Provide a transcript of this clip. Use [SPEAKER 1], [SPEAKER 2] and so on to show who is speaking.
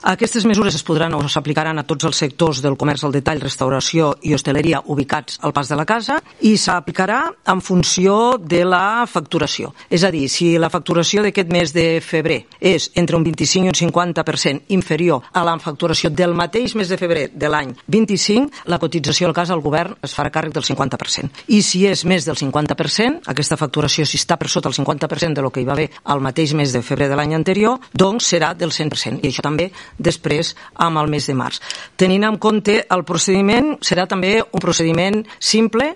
[SPEAKER 1] Aquestes mesures es podran o s'aplicaran a tots els sectors del comerç al detall, restauració i hostaleria ubicats al pas de la casa i s'aplicarà en funció de la facturació. És a dir, si la facturació d'aquest mes de febrer és entre un 25 i un 50% inferior a la facturació del mateix mes de febrer de l'any 25, la cotització al cas al govern es farà càrrec del 50%. I si és més del 50%, aquesta facturació, si està per sota el 50% de lo que hi va haver al mateix mes de febrer de l'any anterior, doncs serà del 100%. I això també després amb el mes de març. Tenint en compte el procediment, serà també un procediment simple